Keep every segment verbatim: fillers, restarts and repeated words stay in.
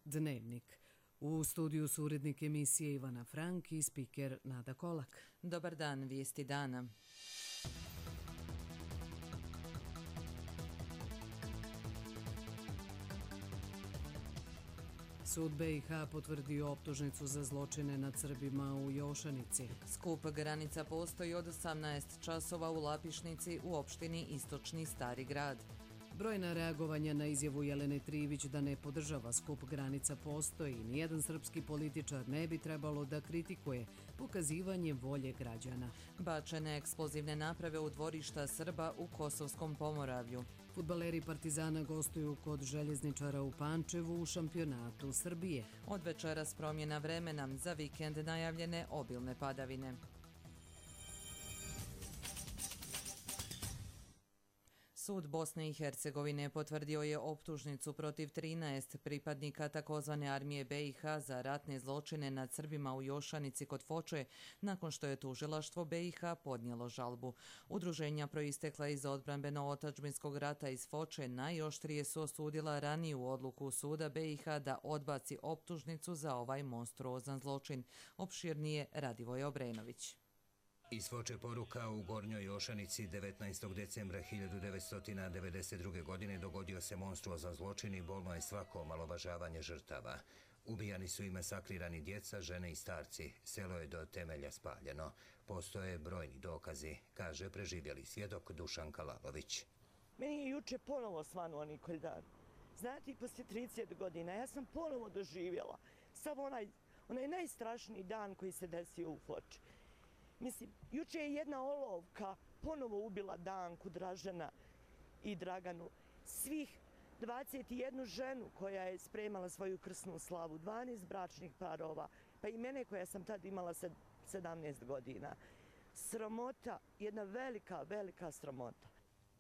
Dnevnik. U studiju su urednik emisije Ivana Frank i spiker Nada Kolak. Dobar dan, vijesti dana. Sud be i ha potvrdio optužnicu za zločine nad Srbima u Jošanici. Skup granica postoji od osamnaest časova u Lapišnici u opštini Istočni Stari grad. Brojna reagovanja na izjavu Jelene Trivić da ne podržava skup granica postoji. Nijedan srpski političar ne bi trebalo da kritikuje pokazivanje volje građana. Bačene eksplozivne naprave u dvorišta Srba u Kosovskom Pomoravlju. Fudbaleri Partizana gostuju kod Željezničara u Pančevu u šampionatu Srbije. Od večeras promjena vremena, za vikend najavljene obilne padavine. Sud Bosne i Hercegovine potvrdio je optužnicu protiv trinaest pripadnika takozvane armije be i ha za ratne zločine nad Srbima u Jošanici kod Foče, nakon što je tužilaštvo be i ha podnijelo žalbu. Udruženja proistekla iz odbrambeno-otadžbinskog rata iz Foče najoštrije su osudila raniju odluku suda be i ha da odbaci optužnicu za ovaj monstruozan zločin. Opširnije Radivoje Obrenović. Iz Foče poruka: u Gornjoj Jošanici devetnaestog decembra hiljadu devetsto devedeset druge. godine dogodio se monstruozan zločin i bolno je svako omalovažavanje žrtava. Ubijani su i masakrirani djeca, žene i starci. Selo je do temelja spaljeno. Postoje brojni dokazi, kaže preživjeli svjedok Dušan Kalalović. Meni je juče ponovo svanuo Nikolj dan. Znate, poslije trideset godina ja sam ponovo doživjela samo onaj, onaj najstrašniji dan koji se desio u Foči. Mislim, juče je jedna olovka ponovo ubila Danku, Dražena i Draganu. Svih dvadeset jednu ženu koja je spremala svoju krsnu slavu, dvanaest bračnih parova, pa i mene koja sam tad imala sedamnaest godina. Sramota, jedna velika, velika sramota.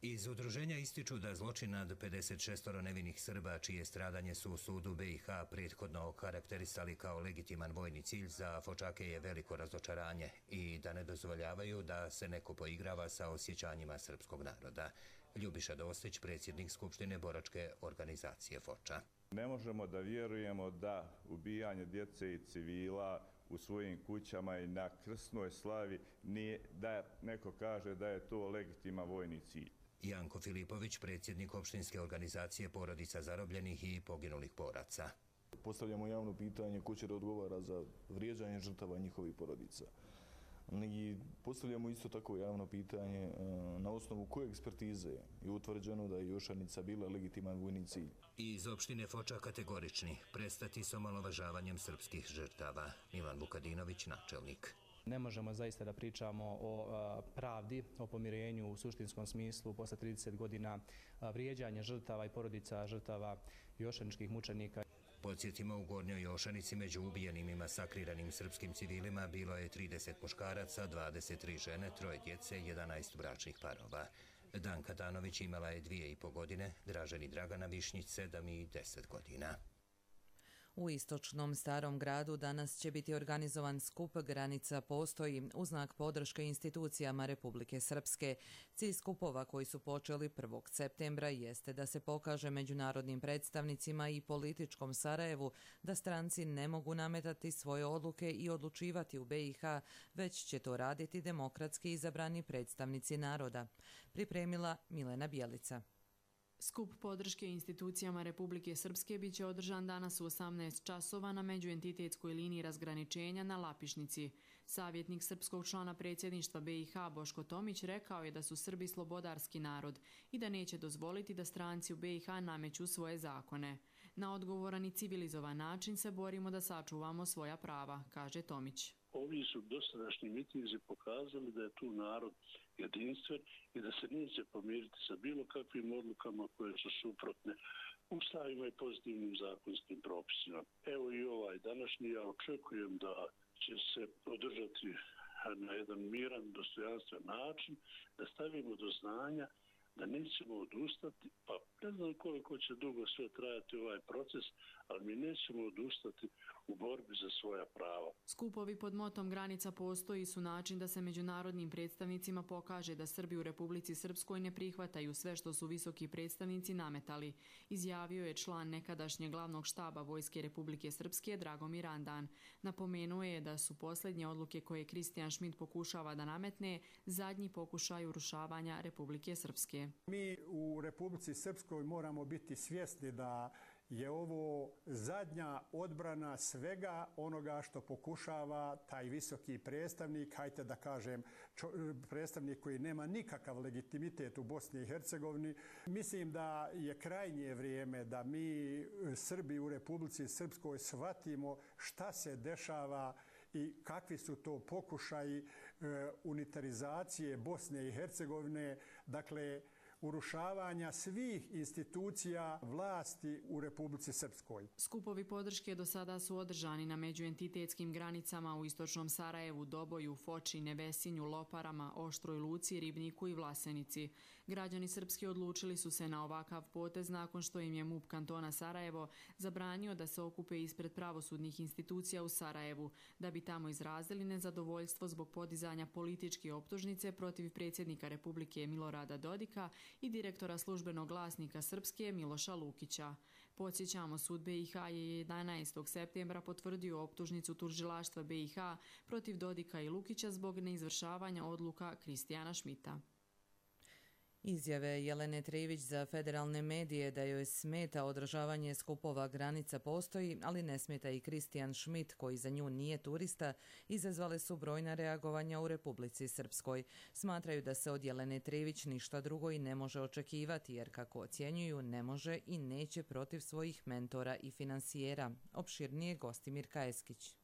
Iz udruženja ističu da zločin nad pedeset šest nevinih Srba, čije stradanje su u sudu be i ha prethodno okarakterisali kao legitiman vojni cilj, za Fočake je veliko razočaranje i da ne dozvoljavaju da se neko poigrava sa osjećanjima srpskog naroda. Ljubiša Dostić, predsjednik Skupštine boračke organizacije Foča. Ne možemo da vjerujemo da ubijanje djece i civila u svojim kućama i na krsnoj slavi nije, da neko kaže da je to legitiman vojni cilj. Janko Filipović, predsjednik opštinske organizacije porodica zarobljenih i poginulih boraca. Postavljamo javno pitanje ko će da odgovara za vrijeđanje žrtava njihovih porodica. I postavljamo isto tako javno pitanje na osnovu koje ekspertize je utvrđeno da je Jošanica bila legitiman vojni cilj. Iz opštine Foča kategorični: prestati s omalovažavanjem srpskih žrtava. Milan Vukadinović, načelnik. Ne možemo zaista da pričamo o pravdi, o pomirenju u suštinskom smislu posle trideset godina vrijeđanja žrtava i porodica žrtava jošaničkih mučenika. Podsjetimo, u Gornjoj Jošanici među ubijenim i masakriranim srpskim civilima bilo je trideset muškaraca, dvadeset tri žene, troje djece, jedanaest bračnih parova. Danka Danović imala je dvije i po godine, Dražen i Dragana Višnjić sedam i deset godina. U istočnom Starom gradu danas će biti organizovan skup Granica postoji u znak podrške institucijama Republike Srpske. Cilj skupova koji su počeli prvog septembra jeste da se pokaže međunarodnim predstavnicima i političkom Sarajevu da stranci ne mogu nametati svoje odluke i odlučivati u be i ha, već će to raditi demokratski izabrani predstavnici naroda. Pripremila Milena Bjelica. Skup podrške institucijama Republike Srpske biće održan danas u osamnaest časova na međuentitetskoj liniji razgraničenja na Lapišnici. Savjetnik srpskog člana predsjedništva be i ha Boško Tomić rekao je da su Srbi slobodarski narod i da neće dozvoliti da stranci u be i ha nameću svoje zakone. Na odgovoran i civilizovan način se borimo da sačuvamo svoja prava, kaže Tomić. Ovi su dosadašnji mitinzi pokazali da je tu narod jedinstven i da se neće pomiriti sa bilo kakvim odlukama koje su suprotne ustavima i pozitivnim zakonskim propisima. Evo i ovaj današnji, ja očekujem da će se održati na jedan miran, dostojanstven način, da stavimo do znanja da nećemo odustati, pa ne znam koliko će dugo sve trajati ovaj proces, ali mi nećemo odustati u borbi za svoja prava. Skupovi pod motom Granica postoji su način da se međunarodnim predstavnicima pokaže da Srbi u Republici Srpskoj ne prihvataju sve što su visoki predstavnici nametali, izjavio je član nekadašnjeg glavnog štaba Vojske Republike Srpske Dragomir Andan. Napomenuo je da su posljednje odluke koje Kristijan Šmit pokušava da nametne zadnji pokušaj urušavanja Republike Srpske. Mi u Republici Srpskoj moramo biti svjesni da je ovo zadnja odbrana svega onoga što pokušava taj visoki predstavnik, hajte da kažem čo, predstavnik koji nema nikakav legitimitet u Bosni i Hercegovini. Mislim da je krajnje vrijeme da mi Srbi u Republici Srpskoj shvatimo šta se dešava i kakvi su to pokušaji e, unitarizacije Bosne i Hercegovine, dakle urušavanja svih institucija vlasti u Republici Srpskoj. Skupovi podrške do sada su održani na međuentitetskim granicama u istočnom Sarajevu, Doboju, Foči, Nevesinju, Loparama, Oštroj Luci, Ribniku i Vlasenici. Građani srpski odlučili su se na ovakav potez nakon što im je M U P kantona Sarajevo zabranio da se okupe ispred pravosudnih institucija u Sarajevu, da bi tamo izrazili nezadovoljstvo zbog podizanja političke optužnice protiv predsjednika Republike Milorada Dodika i direktora službenog glasnika Srpske Miloša Lukića. Podsjećamo, sud B i H je jedanaestog septembra potvrdio optužnicu tužilaštva B i H protiv Dodika i Lukića zbog neizvršavanja odluka Kristijana Šmita. Izjave Jelene Trivić za federalne medije da joj smeta održavanje skupova Granica postoji, ali ne smeta i Kristijan Šmit, koji za nju nije turista, izazvale su brojna reagovanja u Republici Srpskoj. Smatraju da se od Jelene Trivić ništa drugo i ne može očekivati, jer kako ocjenjuju, ne može i neće protiv svojih mentora i finansijera. Opširnije Gostimir Kajeskić.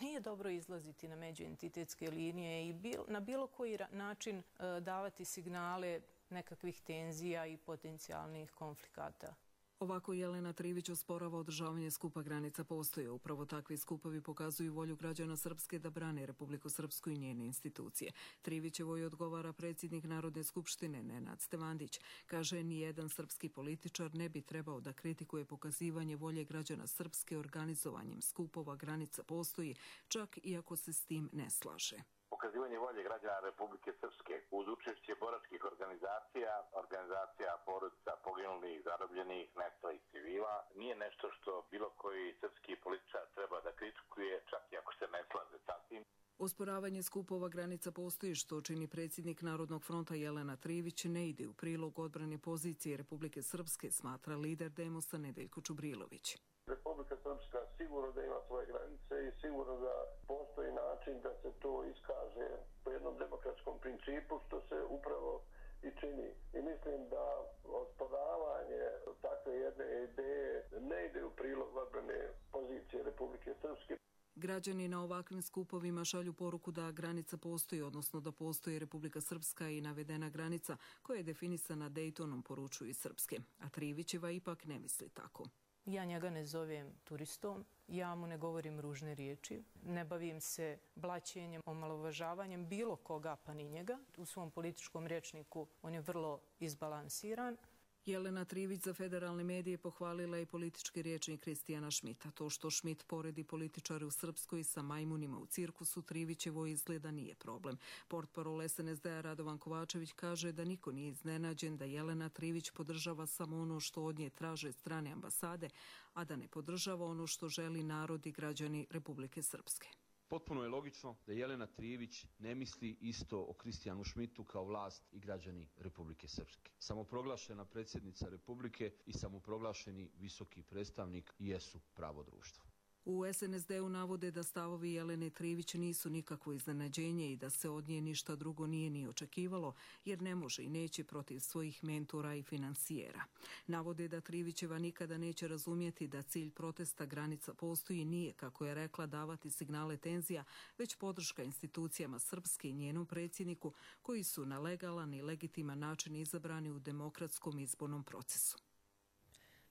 Nije dobro izlaziti na međuentitetske linije i bil, na bilo koji način e, davati signale nekakvih tenzija i potencijalnih konflikata. Ovako Jelena Trivić osporava održavanje skupa Granica postoje. Upravo takvi skupovi pokazuju volju građana Srpske da brane Republiku Srpsku i njene institucije. Trivićevoj odgovara predsjednik Narodne skupštine Nenad Stevandić. Kaže, nijedan srpski političar ne bi trebao da kritikuje pokazivanje volje građana Srpske organizovanjem skupova Granica postoji, čak i ako se s tim ne slaže. Pokazivanje volje građana Republike Srpske uz učešće boračkih organizacija, organizacija porodica poginulih, zarobljenih, nestalih civila, nije nešto što bilo koji srpski političar treba da kritikuje, čak i ako se ne slaže sa tim. Osporavanje skupova Granica postoji, što čini predsjednik Narodnog fronta Jelena Trivić, ne ide u prilog odbrane pozicije Republike Srpske, smatra lider Demosa Nedeljko Čubrilović. Republika Srpska sigurno da ima svoje granice i sigurno da postoji način da se to iskaže po jednom demokratskom principu, što se upravo i čini. I mislim da osporavanje takve jedne ideje ne ide u prilog odbrane pozicije Republike Srpske. Građani na ovakvim skupovima šalju poruku da granica postoji, odnosno da postoji Republika Srpska i navedena granica koja je definisana Dejtonom, poručuju iz Srpske. A Trivićeva ipak ne misli tako. Ja njega ne zovem turistom, ja mu ne govorim ružne riječi, ne bavim se blaćenjem, omalovažavanjem bilo koga pa ni njega. U svom političkom rječniku on je vrlo izbalansiran. Jelena Trivić za federalne medije pohvalila i politički rječnik Kristijana Šmita. To što Šmit poredi političare u Srpskoj sa majmunima u cirkusu, Trivićevo izgleda nije problem. Portparol S N S D-a Radovan Kovačević kaže da niko nije iznenađen da Jelena Trivić podržava samo ono što od nje traže strane ambasade, a da ne podržava ono što želi narod i građani Republike Srpske. Potpuno je logično da Jelena Trivić ne misli isto o Kristijanu Šmitu kao vlast i građani Republike Srpske. Samoproglašena predsjednica Republike i samoproglašeni visoki predstavnik jesu pravo društvo. U S N S D-u navode da stavovi Jelene Trivić nisu nikakvo iznenađenje i da se od nje ništa drugo nije ni očekivalo, jer ne može i neće protiv svojih mentora i finansijera. Navode da Trivićeva nikada neće razumjeti da cilj protesta Granica postoji nije, kako je rekla, davati signale tenzija, već podrška institucijama Srpske i njenom predsjedniku, koji su na legalan i legitiman način izabrani u demokratskom izbornom procesu.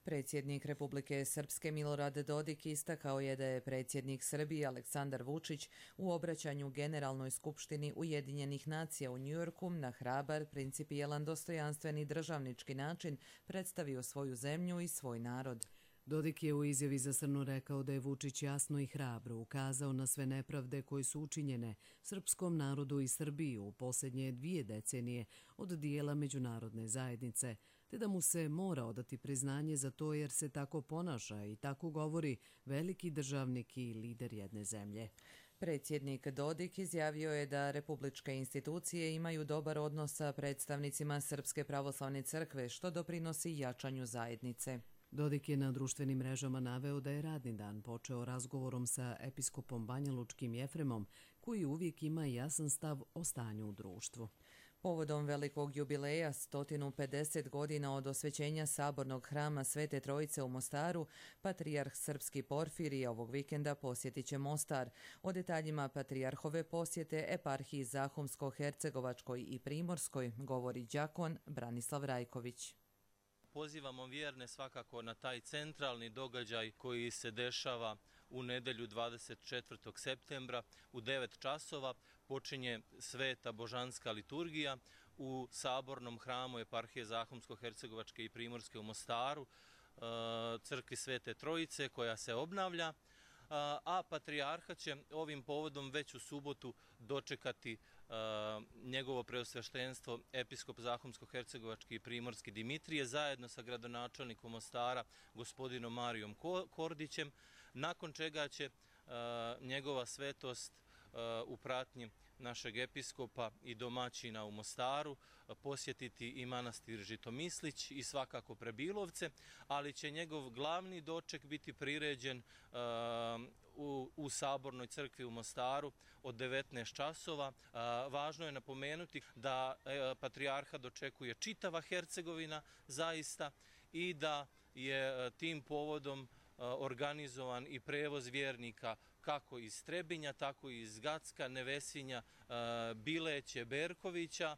Predsjednik Republike Srpske Milorad Dodik istakao je da je predsjednik Srbije Aleksandar Vučić u obraćanju Generalnoj skupštini Ujedinjenih nacija u Njujorku na hrabar, principijelan, dostojanstven i državnički način predstavio svoju zemlju i svoj narod. Dodik je u izjavi za Srnu rekao da je Vučić jasno i hrabro ukazao na sve nepravde koje su učinjene srpskom narodu i Srbiji u posljednje dvije decenije od dijela međunarodne zajednice, te da mu se mora odati priznanje za to jer se tako ponaša i tako govori veliki državnik i lider jedne zemlje. Predsjednik Dodik izjavio je da republičke institucije imaju dobar odnos sa predstavnicima Srpske pravoslavne crkve, što doprinosi jačanju zajednice. Dodik je na društvenim mrežama naveo da je radni dan počeo razgovorom sa episkopom Banjalučkim Jefremom, koji uvijek ima jasan stav o stanju u društvu. Povodom velikog jubileja, sto pedeset godina od osvećenja sabornog hrama Svete Trojice u Mostaru, patrijarh srpski Porfirije ovog vikenda posjetit će Mostar. O detaljima patrijarhove posjete eparhiji Zahumsko-Hercegovačkoj i Primorskoj govori đakon Branislav Rajković. Pozivamo vjerne svakako na taj centralni događaj koji se dešava u nedjelju dvadeset četvrtog septembra u devet časova. Počinje sveta božanska liturgija u sabornom hramu eparhije Zahumsko-Hercegovačke i Primorske u Mostaru, crkvi Svete Trojice koja se obnavlja, a patrijarha će ovim povodom već u subotu dočekati njegovo preosveštenstvo episkop Zahumsko-Hercegovački i Primorski Dimitrije zajedno sa gradonačelnikom Mostara gospodinom Marijom Kordićem, nakon čega će njegova svetost u pratnji našeg episkopa i domaćina u Mostaru posjetiti i manastir Žitomislić i svakako Prebilovce, ali će njegov glavni doček biti priređen u, u Sabornoj crkvi u Mostaru od devetnaest časova. Važno je napomenuti da patrijarha dočekuje čitava Hercegovina zaista i da je tim povodom organizovan i prevoz vjernika kako iz Trebinja, tako i iz Gacka, Nevesinja, Bileće, Berkovića.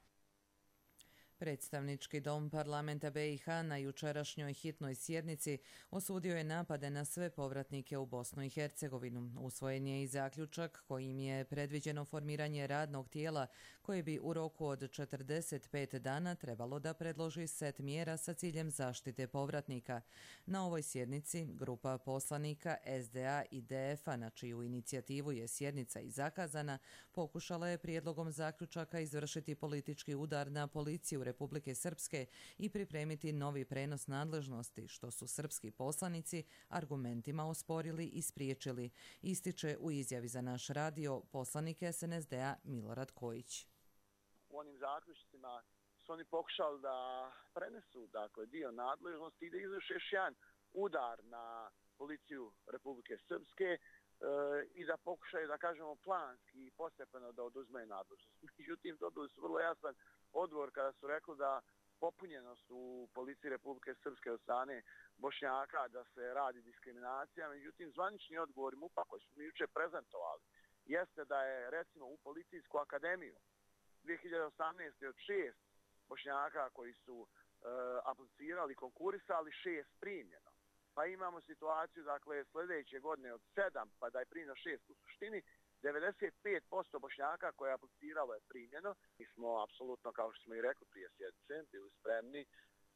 Predstavnički dom parlamenta be i ha na jučerašnjoj hitnoj sjednici osudio je napade na sve povratnike u Bosnu i Hercegovinu. Usvojen je i zaključak kojim je predviđeno formiranje radnog tijela koje bi u roku od četrdeset pet dana trebalo da predloži set mjera sa ciljem zaštite povratnika. Na ovoj sjednici grupa poslanika es de a i de ef a, na čiju inicijativu je sjednica i zakazana, pokušala je prijedlogom zaključaka izvršiti politički udar na policiju Republike Srpske i pripremiti novi prenos nadležnosti, što su srpski poslanici argumentima osporili i spriječili, ističe u izjavi za naš radio poslanik es en es de a Milorad Kojić. U onim zaključcima su oni pokušali da prenesu dakle, dio nadležnosti i da izvrše još jedan udar na policiju Republike Srpske e, i da pokušaju, da kažemo, planski i postepeno da oduzme nadležnost. Međutim, dobili su vrlo jasan odgovor kada su rekli da popunjenost u policiji Republike Srpske od strane Bošnjaka, da se radi diskriminacija. Međutim, zvanični odgovor im upa koji su mi juče prezentovali jeste da je recimo u Policijsku akademiju dvije hiljade osamnaeste. od šest Bošnjaka koji su e, aplicirali, konkurisali, šest primljeno. Pa imamo situaciju, dakle, sljedeće godine od sedam, pa da je primljeno šest u suštini, devedeset pet posto Bošnjaka koje je apliciralo je primljeno. Mi smo apsolutno, kao što smo i rekli prije sjednice, bili spremni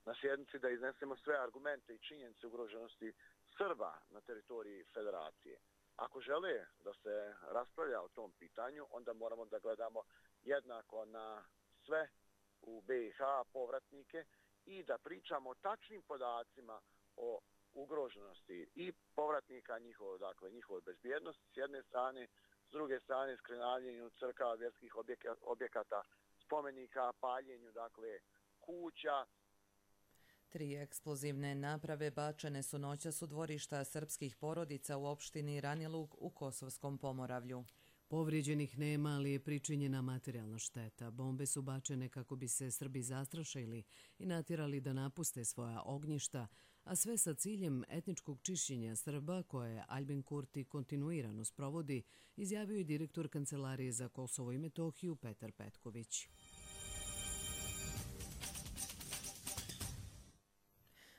na sjednici da iznesemo sve argumente i činjenice ugroženosti Srba na teritoriji Federacije. Ako žele da se raspravlja o tom pitanju, onda moramo da gledamo jednako na sve u be i ha povratnike i da pričamo o tačnim podacima o ugroženosti i povratnika njihove, dakle, njihove bezbjednosti s jedne strane, s druge strane skrenavljenju crkava, vjerskih objekata, spomenika, paljenju, dakle, kuća. Tri eksplozivne naprave bačene su noćas u dvorišta srpskih porodica u opštini Ranilug u Kosovskom Pomoravlju. Povrijeđenih nema, ali je pričinjena materijalna šteta. Bombe su bačene kako bi se Srbi zastrašili i natjerali da napuste svoja ognjišta, a sve sa ciljem etničkog čišćenja Srba koje Albin Kurti kontinuirano sprovodi, izjavio je direktor Kancelarije za Kosovo i Metohiju Petar Petković.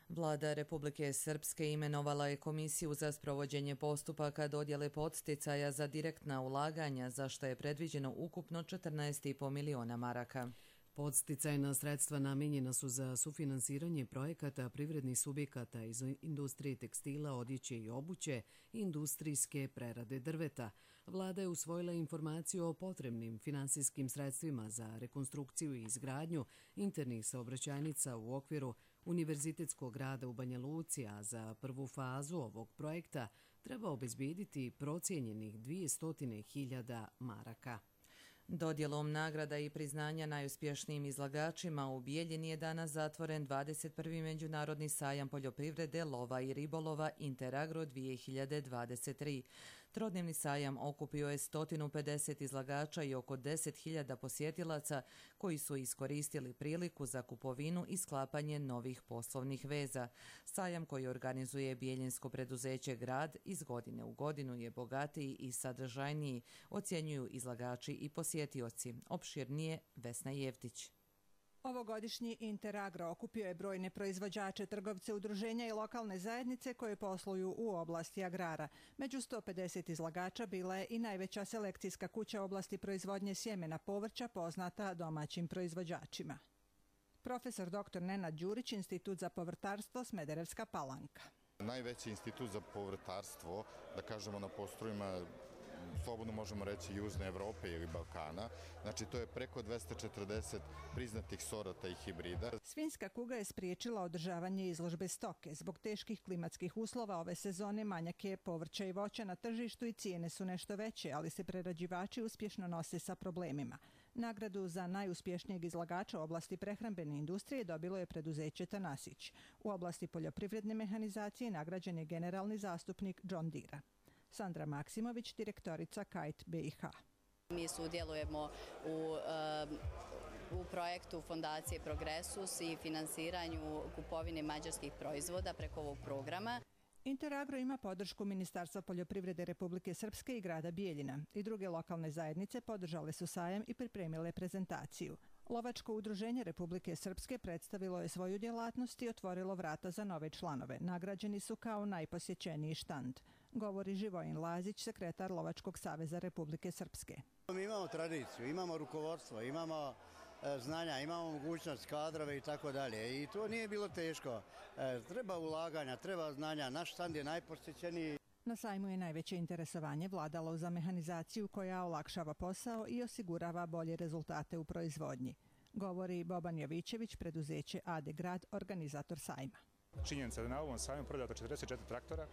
Vlada Republike Srpske imenovala je komisiju za sprovođenje postupaka dodjele podsticaja za direktna ulaganja, za što je predviđeno ukupno četrnaest i po miliona maraka. Podsticajna sredstva namijenjena su za sufinansiranje projekata privrednih subjekata iz industrije tekstila, odjeće i obuće i industrijske prerade drveta. Vlada je usvojila informaciju o potrebnim finansijskim sredstvima za rekonstrukciju i izgradnju internih saobraćajnica u okviru Univerzitetskog grada u Banja Luci, a za prvu fazu ovog projekta treba obezbijediti procijenjenih dvjesto hiljada maraka. Dodjelom nagrada i priznanja najuspješnijim izlagačima u Bijeljini je danas zatvoren dvadeset prvi Međunarodni sajam poljoprivrede, lova i ribolova Interagro dvije hiljade dvadeset tri. Trodnevni sajam okupio je sto pedeset izlagača i oko deset hiljada posjetilaca koji su iskoristili priliku za kupovinu i sklapanje novih poslovnih veza. Sajam koji organizuje bijeljinsko preduzeće Grad iz godine u godinu je bogatiji i sadržajniji, ocjenjuju izlagači i posjetioci. Opširnije Vesna Jevtić. Ovogodišnji Interagro okupio je brojne proizvođače, trgovce, udruženja i lokalne zajednice koje posluju u oblasti agrara. Među sto pedeset izlagača bila je i najveća selekcijska kuća u oblasti proizvodnje sjemena povrća poznata domaćim proizvođačima. Profesor doktor Nenad Đurić, Institut za povrtarstvo, Smederevska Palanka. Najveći institut za povrtarstvo, da kažemo na prostorima, slobodno možemo reći Južne Evrope ili Balkana. Znači to je preko dvesta četrdeset priznatih sorata i hibrida. Svinjska kuga je spriječila održavanje izložbe stoke. Zbog teških klimatskih uslova ove sezone manjak je povrća i voća na tržištu i cijene su nešto veće, ali se prerađivači uspješno nose sa problemima. Nagradu za najuspješnijeg izlagača u oblasti prehrambene industrije dobilo je preduzeće Tanasić. U oblasti poljoprivredne mehanizacije nagrađen je generalni zastupnik John Deere. Sandra Maksimović, direktorica Kite B i H. Mi sudjelujemo u, u projektu Fondacije Progresus i finansiranju kupovine mađarskih proizvoda preko ovog programa. Interagro ima podršku Ministarstva poljoprivrede Republike Srpske i grada Bijeljina. I druge lokalne zajednice podržale su sajam i pripremile prezentaciju. Lovačko udruženje Republike Srpske predstavilo je svoju djelatnost i otvorilo vrata za nove članove. Nagrađeni su kao najposjećeniji štand. Govori Živojin Lazić, sekretar Lovačkog saveza Republike Srpske. Mi imamo tradiciju, imamo rukovodstvo, imamo e, znanja, imamo mogućnost, kadrove i tako dalje. I to nije bilo teško. E, treba ulaganja, treba znanja. Naš štand je najposjećeniji. Na sajmu je najveće interesovanje vladalo za mehanizaciju koja olakšava posao i osigurava bolje rezultate u proizvodnji. Govori Boban Jovićević, preduzeće A D Grad, organizator sajma. Činjenica da na ovom sajmu prodato četrdeset četiri traktora,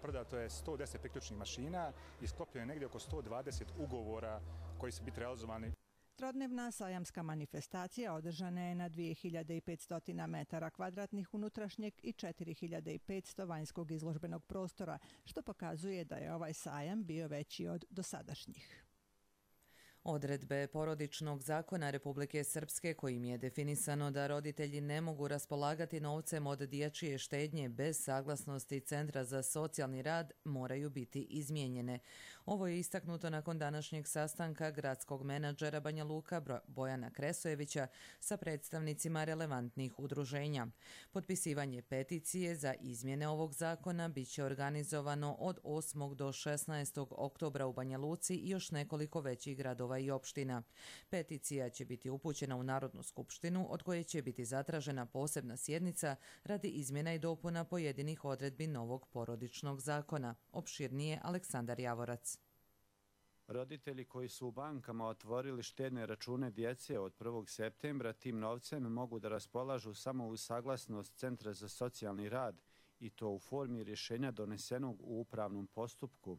prodato je sto deset priključnih mašina i sklopljeno je negdje oko sto dvadeset ugovora koji su biti realizovani. Trodnevna sajamska manifestacija održana je na dvije hiljade petsto metara kvadratnih unutrašnjeg i četiri hiljade petsto vanjskog izložbenog prostora, što pokazuje da je ovaj sajam bio veći od dosadašnjih. Odredbe porodičnog zakona Republike Srpske kojim je definisano da roditelji ne mogu raspolagati novcem od dječje štednje bez saglasnosti Centra za socijalni rad moraju biti izmijenjene. Ovo je istaknuto nakon današnjeg sastanka gradskog menadžera Banja Luka Bojana Kresojevića sa predstavnicima relevantnih udruženja. Potpisivanje peticije za izmjene ovog zakona bit će organizovano od osmog do šesnaestog oktobra u Banja Luci i još nekoliko većih gradova i opština. Peticija će biti upućena u Narodnu skupštinu, od koje će biti zatražena posebna sjednica radi izmjena i dopuna pojedinih odredbi novog porodičnog zakona. Opširnije Aleksandar Javorac. Roditelji koji su u bankama otvorili štedne račune djece od prvog septembra tim novcem mogu da raspolažu samo uz saglasnost Centra za socijalni rad i to u formi rješenja donesenog u upravnom postupku.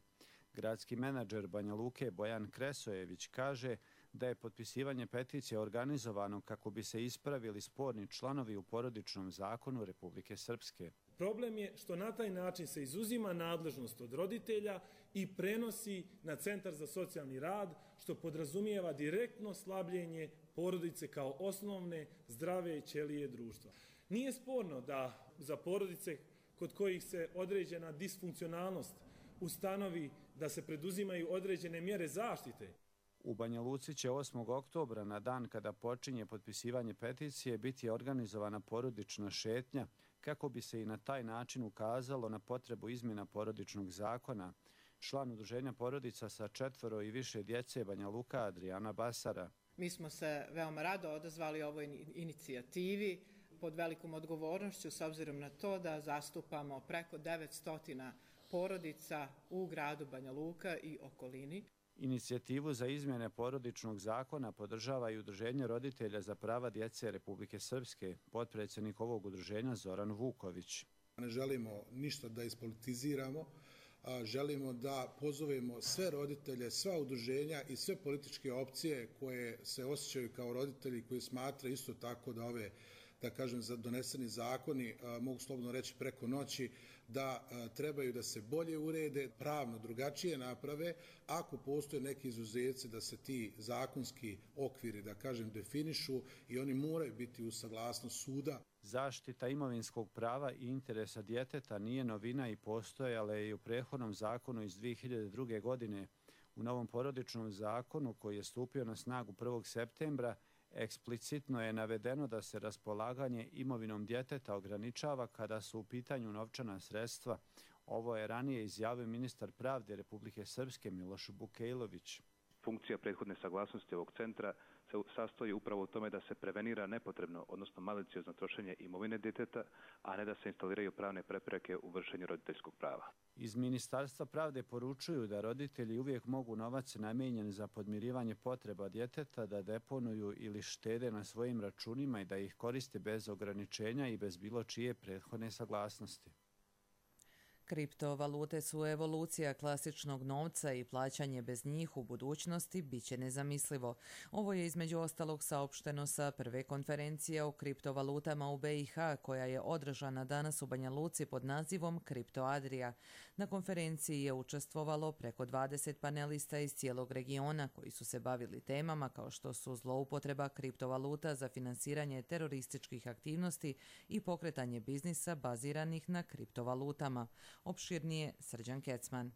Gradski menadžer Banja Luke Bojan Kresojević kaže da je potpisivanje peticije organizovano kako bi se ispravili sporni članovi u porodičnom zakonu Republike Srpske. Problem je što na taj način se izuzima nadležnost od roditelja i prenosi na Centar za socijalni rad, što podrazumijeva direktno slabljenje porodice kao osnovne zdrave ćelije društva. Nije sporno da za porodice kod kojih se određena disfunkcionalnost ustanovi da se preduzimaju određene mjere zaštite. U Banja Luci će osmog oktobra, na dan kada počinje potpisivanje peticije, biti organizovana porodična šetnja kako bi se i na taj način ukazalo na potrebu izmjena porodičnog zakona. Član udruženja porodica sa četvoro i više djece Banja Luka Adriana Basara. Mi smo se veoma rado odazvali ovoj inicijativi pod velikom odgovornošću s obzirom na to da zastupamo preko devetsto porodica u gradu Banja Luka i okolini. Inicijativu za izmjene porodičnog zakona podržava i Udruženje roditelja za prava djece Republike Srpske, potpredsjednik ovog udruženja Zoran Vuković. Ne želimo ništa da ispolitiziramo, želimo da pozovemo sve roditelje, sva udruženja i sve političke opcije koje se osjećaju kao roditelji, koji smatraju isto tako da ove, da kažem, doneseni zakoni, mogu slobodno reći preko noći, da trebaju da se bolje urede, pravno drugačije naprave, ako postoje neki izuzeci da se ti zakonski okviri, da kažem, definišu i oni moraju biti uz saglasnost suda. Zaštita imovinskog prava i interesa djeteta nije novina i postojala je i u prethodnom zakonu iz dvije hiljade druge. godine. U novom porodičnom zakonu koji je stupio na snagu prvog septembra eksplicitno je navedeno da se raspolaganje imovinom djeteta ograničava kada su u pitanju novčana sredstva. Ovo je ranije izjavio ministar pravde Republike Srpske Miloš Bukejlović. Funkcija prethodne saglasnosti ovog centra se sastoji upravo u tome da se prevenira nepotrebno, odnosno maliciozno trošenje imovine djeteta, a ne da se instaliraju pravne prepreke u vršenju roditeljskog prava. Iz Ministarstva pravde poručuju da roditelji uvijek mogu novac namijenjen za podmirivanje potreba djeteta da deponuju ili štede na svojim računima i da ih koriste bez ograničenja i bez bilo čije prethodne saglasnosti. Kriptovalute su evolucija klasičnog novca i plaćanje bez njih u budućnosti biće nezamislivo. Ovo je između ostalog saopšteno sa prve konferencije o kriptovalutama u B i H koja je održana danas u Banja Luci pod nazivom Kripto Adria. Na konferenciji je učestvovalo preko dvadeset panelista iz cijelog regiona koji su se bavili temama kao što su zloupotreba kriptovaluta za finansiranje terorističkih aktivnosti i pokretanje biznisa baziranih na kriptovalutama. Opširnije Srđan Kecman.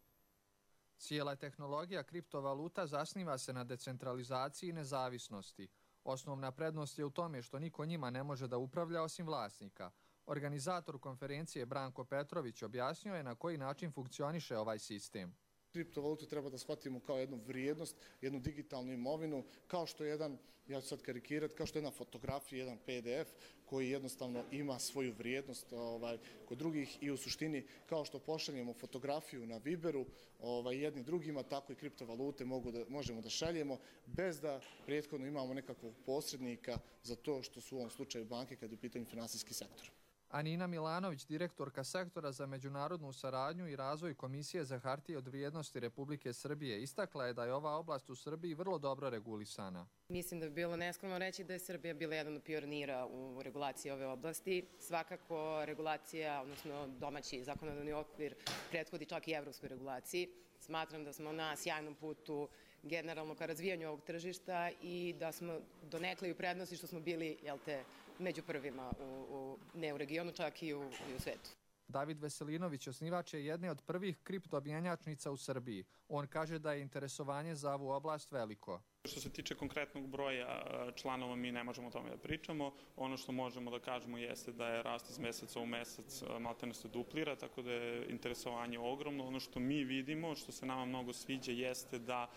Cijela tehnologija kriptovaluta zasniva se na decentralizaciji i nezavisnosti. Osnovna prednost je u tome što niko njima ne može da upravlja osim vlasnika. Organizator konferencije Branko Petrović objasnio je na koji način funkcioniše ovaj sistem. Kriptovalutu treba da shvatimo kao jednu vrijednost, jednu digitalnu imovinu, kao što je jedan, ja ću sad karikirati, kao što je jedna fotografija, jedan P D F koji jednostavno ima svoju vrijednost ovaj, kod drugih i u suštini kao što pošaljemo fotografiju na Viberu ovaj, jedni drugima, tako i kriptovalute mogu da, možemo da šaljemo bez da prethodno imamo nekakvog posrednika za to što su u ovom slučaju banke kad je u pitanju finansijski sektor. Anina Milanović, direktorka sektora za međunarodnu saradnju i razvoj Komisije za hartije od vrijednosti Republike Srbije, istakla je da je ova oblast u Srbiji vrlo dobro regulisana. Mislim da bi bilo neskromno reći da je Srbija bila jedan od pionira u regulaciji ove oblasti. Svakako regulacija, odnosno domaći zakonodavni okvir, prethodi čak i evropskoj regulaciji. Smatram da smo na sjajnom putu generalno ka razvijanju ovog tržišta i da smo donekle i u prednosti što smo bili, jel te, među prvima, u, u, ne u regionu, čak i u, i u svetu. David Veselinović osnivač je jedne od prvih kriptomjenjačnica u Srbiji. On kaže da je interesovanje za ovu oblast veliko. Što se tiče konkretnog broja članova, mi ne možemo o tome da pričamo. Ono što možemo da kažemo jeste da je rast iz meseca u mesec maltene se duplira, tako da je interesovanje ogromno. Ono što mi vidimo, što se nama mnogo sviđa, jeste da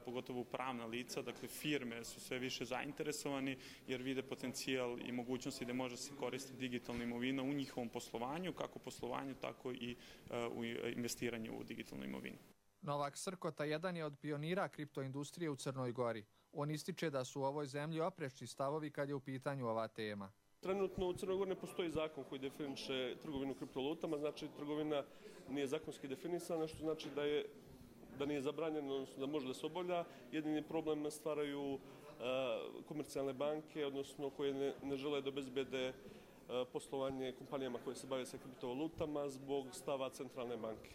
pogotovo pravna lica, dakle firme su sve više zainteresovani jer vide potencijal i mogućnosti da može se koristiti digitalna imovina u njihovom poslovanju, kako poslovanju, tako i u investiranju u digitalnu imovinu. Novak Srkota jedan je od pionira kriptoindustrije u Crnoj Gori. On ističe da su u ovoj zemlji oprečni stavovi kad je u pitanju ova tema. Trenutno u Crnoj Gori ne postoji zakon koji definiše trgovinu kriptovalutama, znači trgovina nije zakonski definisana, što znači da je da nije zabranjeno, odnosno da može da se obavlja. Jedini problem stvaraju uh, komercijalne banke, odnosno koje ne, ne žele da obezbede uh, poslovanje kompanijama koje se bave sa kriptovalutama zbog stava centralne banke.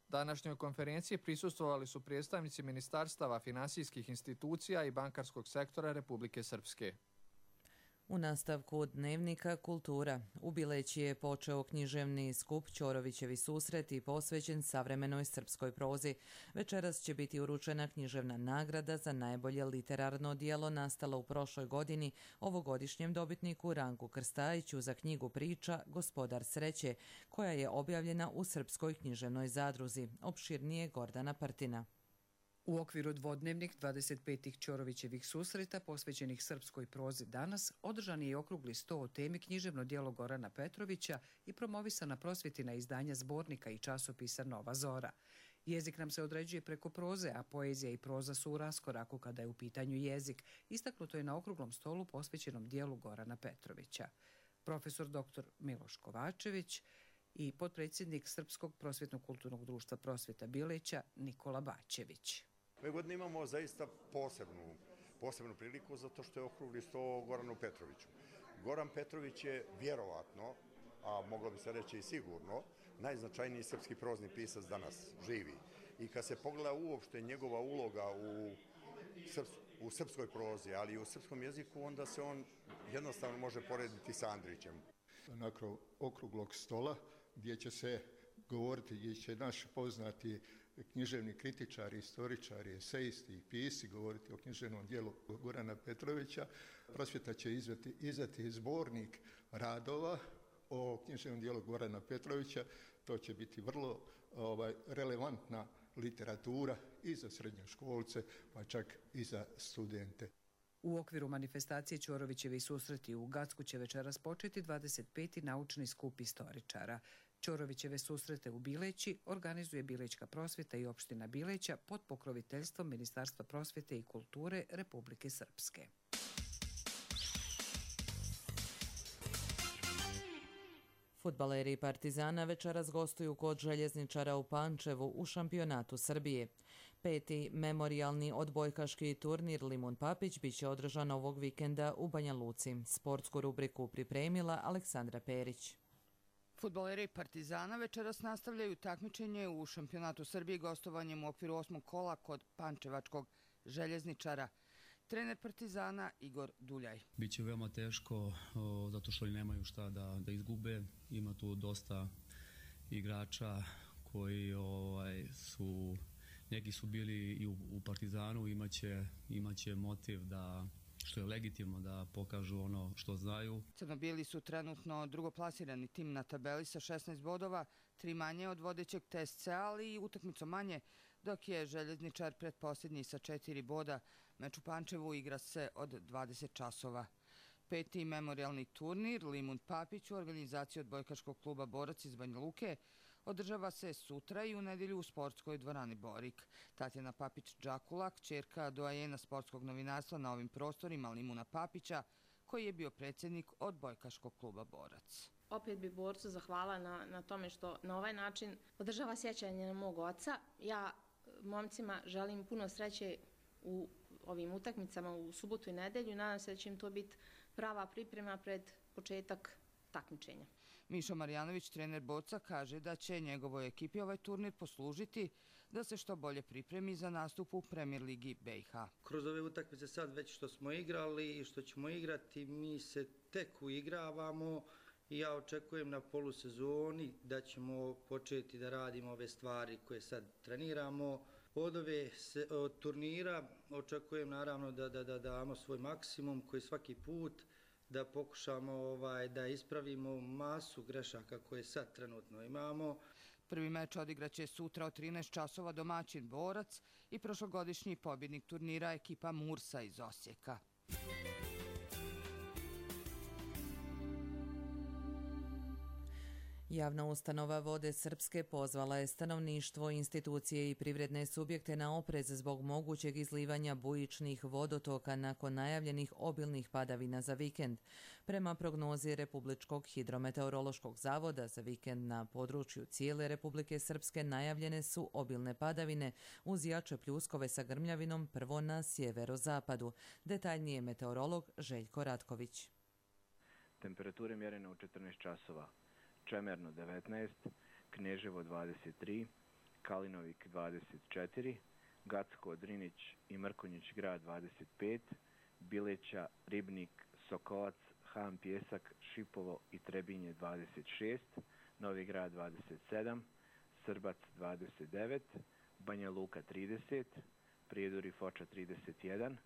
Današnjoj konferenciji prisustvovali su predstavnici ministarstava, finansijskih institucija i bankarskog sektora Republike Srpske. U nastavku Dnevnika kultura u Bileći je počeo književni skup Ćorovićevi susreti posvećen savremenoj srpskoj prozi. Večeras će biti uručena književna nagrada za najbolje literarno djelo nastalo u prošloj godini ovogodišnjem dobitniku Ranku Krstajiću za knjigu priča Gospodar sreće, koja je objavljena u Srpskoj književnoj zadruzi. Opširnije Gordana Partina. U okviru dvodnevnih dvadeset petih Ćorovićevih susreta posvećenih srpskoj prozi danas održan je i okrugli sto o temi književno djelo Gorana Petrovića i promovisana prosvjetina izdanja zbornika i časopisa Nova Zora. Jezik nam se određuje preko proze, a poezija i proza su u raskoraku kada je u pitanju jezik. Istaknuto je na okruglom stolu posvećenom djelu Gorana Petrovića. Profesor doktor Miloš Kovačević i potpredsjednik Srpskog prosvjetno-kulturnog društva Prosvjeta Bileća Nikola Bačević. Ove godine imamo zaista posebnu, posebnu priliku zato što je okrugli sto Goranu Petroviću. Goran Petrović je vjerovatno, a moglo bi se reći i sigurno, najznačajniji srpski prozni pisac danas živi. I kad se pogleda uopšte njegova uloga u, srps, u srpskoj prozi, ali i u srpskom jeziku, onda se on jednostavno može porediti sa Andrićem. Nakon okruglog stola gdje će se govoriti, gdje će naš poznati književni kritičari, istoričari, esejisti i pisci govoriti o književnom dijelu Gorana Petrovića. Prosvjeta će izdati, izdati zbornik radova o književnom dijelu Gorana Petrovića. To će biti vrlo ovaj, relevantna literatura i za srednjoškolce, pa čak i za studente. U okviru manifestacije Ćorovićevi susreti u Gacku će večeras početi dvadeset peti naučni skup istoričara. Ćorovićeve susrete u Bileći organizuje Bilećka prosvjeta i opština Bileća pod pokroviteljstvom Ministarstva prosvjete i kulture Republike Srpske. Fudbaleri Partizana večeras gostuju kod Željezničara u Pančevu u šampionatu Srbije. Peti memorijalni odbojkaški turnir Limun Papić biće održan ovog vikenda u Banja Luci. Sportsku rubriku pripremila Aleksandra Perić. Fudbaleri Partizana večeras nastavljaju takmičenje u šampionatu Srbije gostovanjem u okviru osmog kola kod Pančevačkog Željezničara. Trener Partizana Igor Duljaj. Biće veoma teško o, zato što oni nemaju šta da, da izgube. Ima tu dosta igrača koji ovaj, su, neki su bili i u, u Partizanu, imaće, imaće motiv da, što je legitimno, da pokažu ono što znaju. Crnobijeli su trenutno drugoplasirani tim na tabeli sa šesnaest bodova, tri manje od vodećeg T S C, ali i utakmicu manje, dok je Željezničar pretposljednji sa četiri boda. Meč u Pančevu igra se od dvadeset časova. Peti memorijalni turnir Limun Papić u organizaciji odbojkaškog kluba Borac iz Banja Luke održava se sutra i u nedjelju u sportskoj dvorani Borik. Tatjana Papić-Đakulak, ćerka doajena sportskog novinarstva na ovim prostorima Limuna Papića, koji je bio predsjednik odbojkaškog kluba Borac. Opet bi borcu zahvala na, na tome što na ovaj način održava sjećanje na mog oca. Ja momcima želim puno sreće u ovim utakmicama u subotu i nedelju. Nadam se da će im to biti prava priprema pred početak takmičenja. Mišo Marjanović, trener borca, kaže da će njegovoj ekipi ovaj turnir poslužiti da se što bolje pripremi za nastup u Premier ligi B i H. Kroz ove utakmice sad već što smo igrali i što ćemo igrati, mi se tek uigravamo i ja očekujem na polusezoni da ćemo početi da radimo ove stvari koje sad treniramo. Od ove se, od turnira očekujem naravno da, da, da damo svoj maksimum koji svaki put da pokušamo ovaj, da ispravimo masu grešaka koje sad trenutno imamo. Prvi meč odigraće sutra od trinaest časova domaćin Borac i prošlogodišnji pobjednik turnira ekipa Mursa iz Osijeka. Javna ustanova Vode Srpske pozvala je stanovništvo, institucije i privredne subjekte na oprez zbog mogućeg izlivanja bujičnih vodotoka nakon najavljenih obilnih padavina za vikend. Prema prognozi Republičkog hidrometeorološkog zavoda za vikend na području cijele Republike Srpske najavljene su obilne padavine uz jače pljuskove sa grmljavinom prvo na sjeverozapadu. Detaljnije meteorolog Željko Ratković. Temperature mjerene u četrnaest časova. Čemerno devetnaest, Kneževo dvadeset tri, Kalinovik dvadeset četiri, Gacko, Drinić i Mrkonjić grad dvadeset pet, Bileća, Ribnik, Sokolac, Han Pjesak, Šipovo i Trebinje dvadeset šest, Novi grad dvadeset sedam, Srbac dvadeset devet, Banja Luka trideset, Prijedor i Foča trideset jedan,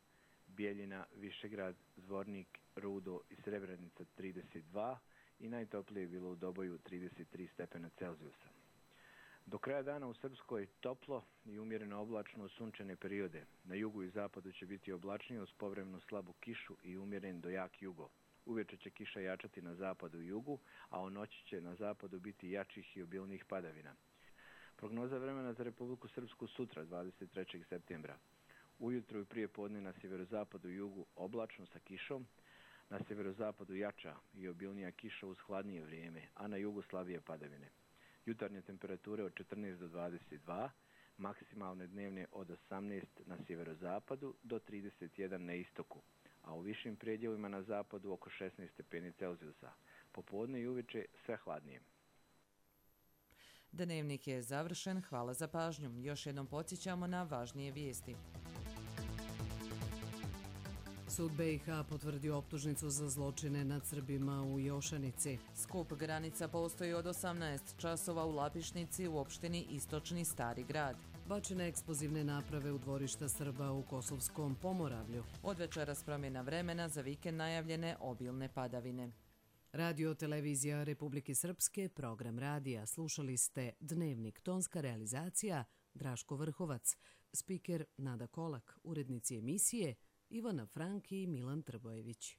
Bijeljina, Višegrad, Zvornik, Rudo i Srebrenica trideset dva i najtoplije je bilo u Doboju trideset tri stepena Celzijusa. Do kraja dana u Srpskoj toplo i umjereno oblačno sunčane periode. Na jugu i zapadu će biti oblačnije uz povremenu slabu kišu i umjeren do jak jugo. Uveče će kiša jačati na zapadu i jugu, a u noći će na zapadu biti jačih i obilnih padavina. Prognoza vremena za Republiku Srpsku sutra, dvadeset trećeg septembra. Ujutro i prije podne na sjeverozapadu i jugu oblačno sa kišom, na sjeverozapadu jača i obilnija kiša uz hladnije vrijeme, a na jugu slabije padavine. Jutarnje temperature od četrnaest do dvadeset dva, maksimalne dnevne od osamnaest na sjeverozapadu do trideset jedan na istoku, a u višim predjelima na zapadu oko šesnaest stepeni Celzijusa. Popodne i uveče sve hladnije. Dnevnik je završen, hvala za pažnju. Još jednom podsjećamo na važnije vijesti. Sud B i H potvrdio optužnicu za zločine nad Srbima u Jošanici. Skup granica postoji od osamnaest časova u Lapišnici u opštini Istočni Stari grad. Bačene eksplozivne naprave u dvorišta Srba u Kosovskom Pomoravlju. Od večeras promjena vremena, za vikend najavljene obilne padavine. Radio Televizija Republike Srpske, program radija. Slušali ste Dnevnik, tonska realizacija Draško Vrhovac, spiker Nada Kolak, urednici emisije Ivana Frank i Milan Trbojević.